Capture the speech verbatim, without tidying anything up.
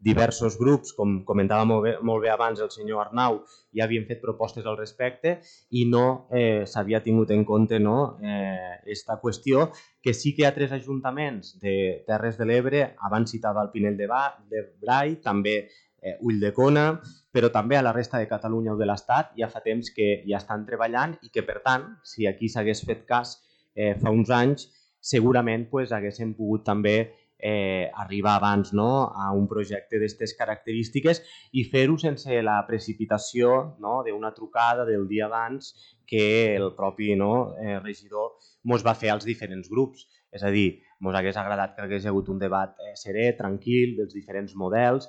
diversos grups, com comentava molt bé, molt bé abans el senyor Arnau, ja havien fet propostes al respecte i no eh, s'havia tingut en compte no, eh, esta qüestió, que sí que hi ha tres ajuntaments de Terres de l'Ebre, abans citava el Pinell de, ba de Brai, també eh, Ulldecona, però també a la resta de Catalunya o de l'Estat ja fa temps que ja estan treballant i que, per tant, si aquí s'hagués fet cas eh, fa uns anys, segurament pues, haguéssim pogut també eh, arribar abans no, a un projecte d'aquestes característiques i fer-ho sense la precipitació no, d'una trucada del dia abans que el propi no, eh, regidor ens va fer als diferents grups. És a dir, ens hagués agradat que hagués hagut un debat eh, serè, tranquil, dels diferents models,